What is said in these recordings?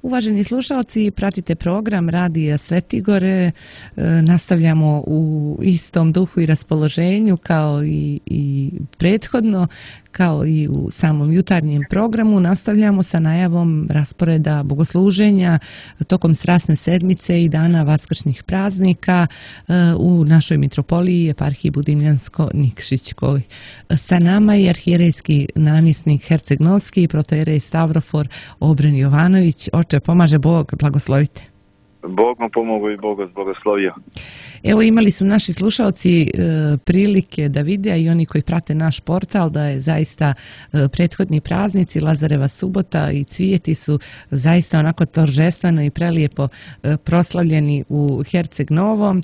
Uvaženi slušalci, pratite program Radija Svetigore. Nastavljamo u istom duhu i raspoloženju kao i prethodno, kao i u samom jutarnjem programu. Nastavljamo sa najavom rasporeda bogosluženja tokom Strasne sedmice i dana vaskršnjih praznika u našoj mitropoliji eparhiji Budimljansko-Nikšićkoj. Sa nama je arhijerejski namjesnik Herceg-Novski, protojerej Stavrofor Obren Jovanović. Oče, pomaže Bog, blagoslovite. Bog vam pomogao i Bog vas blagoslovio. Evo, imali su naši slušalci prilike da vide, a i oni koji prate naš portal, da je zaista prethodni praznici, Lazareva subota i Cvijeti su zaista onako toržestveno i prelijepo proslavljeni u Herceg Novom.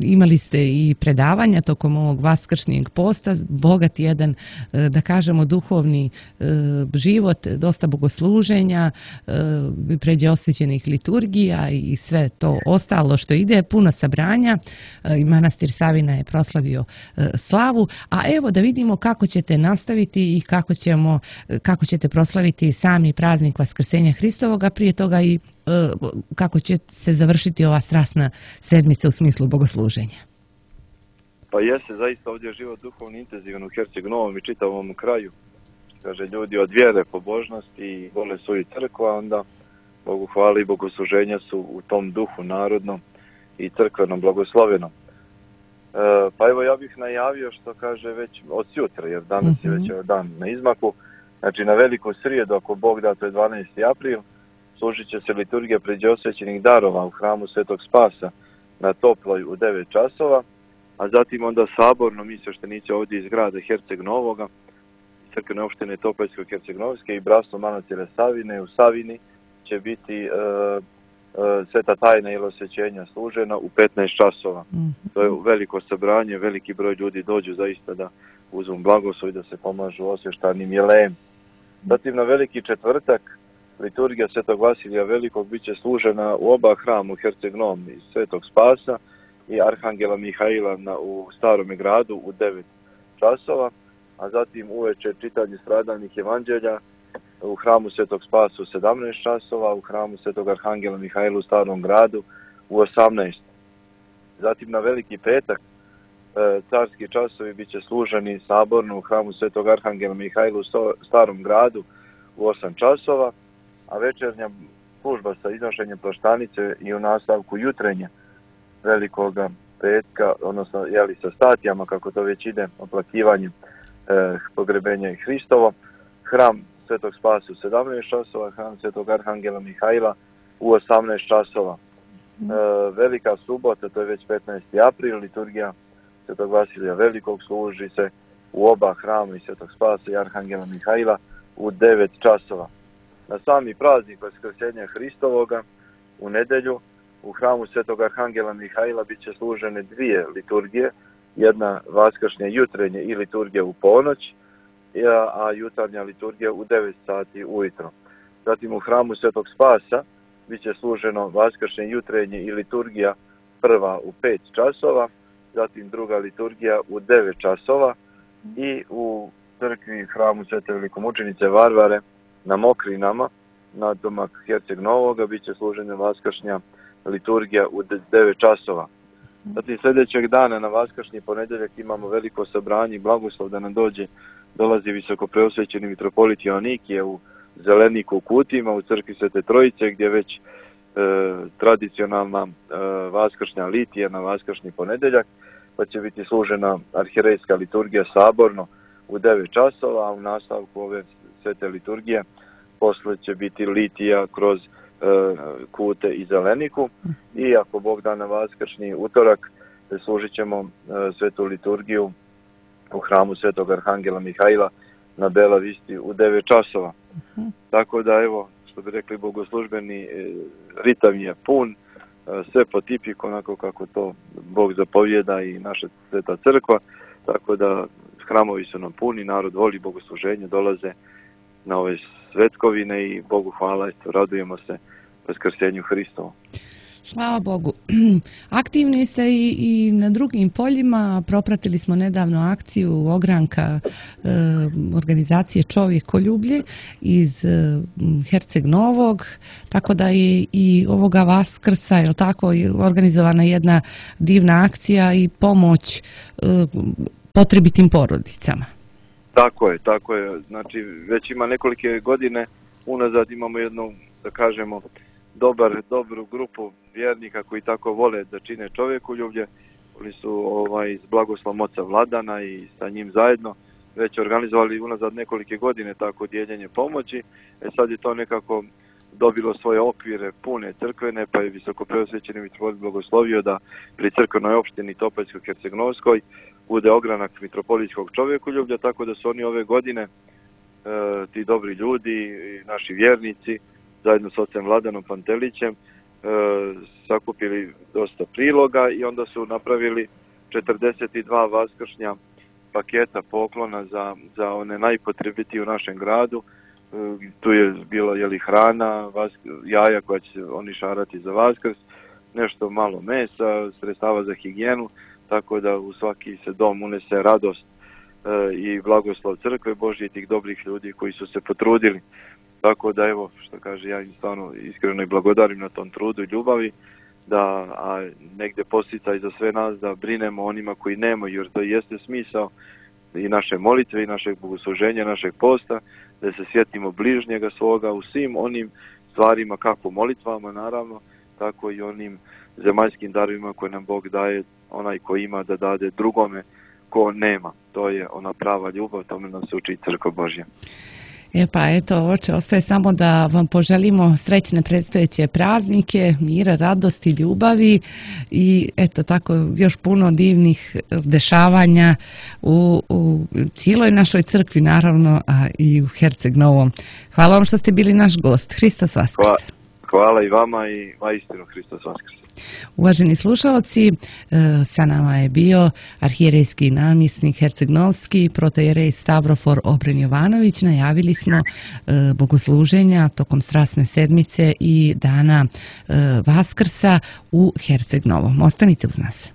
Imali ste i predavanja tokom ovog vaskršnjeg posta, bogat jedan, da kažemo, duhovni život, dosta bogosluženja, pređe osvećenih liturgija i sve to ostalo što ide, puno sabranja. I manastir Savina je proslavio slavu, a evo da vidimo kako ćete nastaviti i kako ćete proslaviti sami praznik Vaskrsenja Hristovoga, prije toga i kako će se završiti ova strasna sedmica u smislu bogosluženja. Pa jeste, zaista ovdje je život duhovni intenzivan u Herceg Novom i čitavom kraju. Kaže, ljudi od vjere, pobožnosti vole svoju crkvu, a onda Bogu hvala i bogosluženja su u tom duhu narodnom i crkvenom blagoslovenom. Pa evo, ja bih najavio što kaže već od sutra, jer danas je već dan na izmaku. Znači na veliku srijedu, ako Bog da, to je 12. april, služit će se liturgija pređe osvećenih darova u hramu Svetog Spasa na Toploj u 9 časova, a zatim onda saborno mi sveštenici ovdje iz grada Herceg Novoga, crkvene opštine Topoljsko Herceg-Novske i bratstvo manastira Savine u Savini će biti sveta tajna ili osvećenja služena u 15 časova. To je veliko sabranje, veliki broj ljudi dođu zaista da uzmu blagoslov i da se pomažu osvještanim jelejem. Zatim na veliki četvrtak liturgija Svetog Vasilija Velikog bit će služena u oba hrama u Herceg Novom, iz Svetog Spasa i Arhangela Mihaila u Starome gradu u 9 časova, a zatim uveče čitanje stradalnih evanđelja u hramu Svetog Spasa u 17 časova, u hramu Svetog Arhangela Mihajla u Starom gradu u 18. Zatim na veliki petak carski časovi bit će služeni saborno u hramu Svetog Arhangela Mihajla u Starom gradu u 8 časova, a večernja služba sa iznošenjem plaštanice i u nastavku jutrenja velikoga petka, odnosno sa statijama, kako to već ide, oplakivanjem pogrebenja Hristovo, hram Svetog Spasa u 17 časova, hram Svetog Arhangela Mihajla u 18 časova. Velika subota, to je već 15. april, liturgija Svetog Vasilija Velikog služi se u oba hrama i Svetog Spasa i Arhangela Mihajla u 9 časova. Na sami praznik Vaskrsenja Hristovoga u nedjelju u hramu Svetog Arhangela Mihajla bit će služene dvije liturgije, jedna vaskršnja jutrenje i liturgija u ponoć, a jutarnja liturgija u 9 sati ujutro. Zatim u hramu Svetog Spasa bit će služeno vaskršnje jutrenje i liturgija prva u 5 časova, zatim druga liturgija u 9 časova i u crkvi hramu Svete velikomučenice Varvare na Mokrinama, na domak Herceg Novoga, bit će služena vaskršnja liturgija u 9 časova. Zatim sljedećeg dana na vaskršnji ponedjeljak imamo veliko sabranje i blagoslov da nam dolazi visoko preosvećeni mitropolit Joanikije u Zeleniku u Kutima, u crkvi Svete Trojice, gdje već tradicionalna vaskršnja litija na vaskršnji ponedjeljak, pa će biti služena arhijerejska liturgija saborno u 9 časova, a u nastavku ove svete liturgije posle će biti litija kroz Kute i Zeleniku i ako Bog da na vaskršnji utorak služit ćemo svetu liturgiju u hramu Svetog Arhangela Mihajla na Bela Visti u 9 časova. Tako da evo, što bi rekli bogoslužbeni ritam je pun, sve po tipiku onako kako to Bog zapovjeda i naša sveta crkva, tako da hramovi su nam puni, narod voli bogosluženje, dolaze na ove svetkovine i Bogu hvala, radujemo se Vaskrsenju Hristovu. Slava Bogu. Aktivni ste i na drugim poljima. Propratili smo nedavno akciju ogranka organizacije Čovjekoljublje iz Herceg Novog, tako da je i ovoga Vaskrsa, je li tako, organizovana jedna divna akcija i pomoć potrebitim porodicama. Tako je. Znači, već ima nekolike godine unazad imamo jednu, da kažemo, dobru grupu vjernika koji tako vole da čine čovjekoljublje. Oni su s blagoslovom oca Vladana i sa njim zajedno već organizovali unazad nekolike godine tako dijeljenje pomoći. Sad je to nekako dobilo svoje okvire pune crkvene, pa je visokopreosvećeni mitropolit blagoslovio da pri crkvenoj opštini Topoljsko-Hercegnovskoj bude ogranak mitropolitskog čovjekoljublja, tako da su oni ove godine, ti dobri ljudi, naši vjernici, zajedno s ocem Vladanom Pantelićem, sakupili dosta priloga i onda su napravili 42 vaskršnja paketa poklona za one najpotrebitije u našem gradu. Tu je bilo hrana, jaja koja će oni šarati za Vaskrs, nešto malo mesa, sredstava za higijenu, tako da u svaki se dom unese radost i blagoslov crkve Božje i tih dobrih ljudi koji su se potrudili. Tako da evo, što kaže, ja im stvarno iskreno i blagodarim na tom trudu i ljubavi, a negde posticaj za sve nas da brinemo onima koji nemaju, jer to jeste smisao i naše molitve i našeg bogosluženja, našeg posta, da se sjetimo bližnjega svoga u svim onim stvarima, kako molitvama naravno, tako i onim zemaljskim darovima koje nam Bog daje, onaj ko ima da dade drugome ko nema. To je ona prava ljubav, tome nam se uči Crkva Božja. Pa eto, oče, ostaje samo da vam poželimo srećne predstojeće praznike, mira, radosti, ljubavi i eto tako još puno divnih dešavanja u cijeloj našoj crkvi naravno, a i u Herceg Novom. Hvala vam što ste bili naš gost. Hristos Vaskrse. Hvala i vama i vaistinu Hristos Vaskrse. Uvaženi slušalci, sa nama je bio arhijerejski namjesnik Herceg-Novski, protojerej Stavrofor Obren Jovanović. Najavili smo bogosluženja tokom Strasne sedmice i dana Vaskrsa u Herceg-Novom. Ostanite uz nas.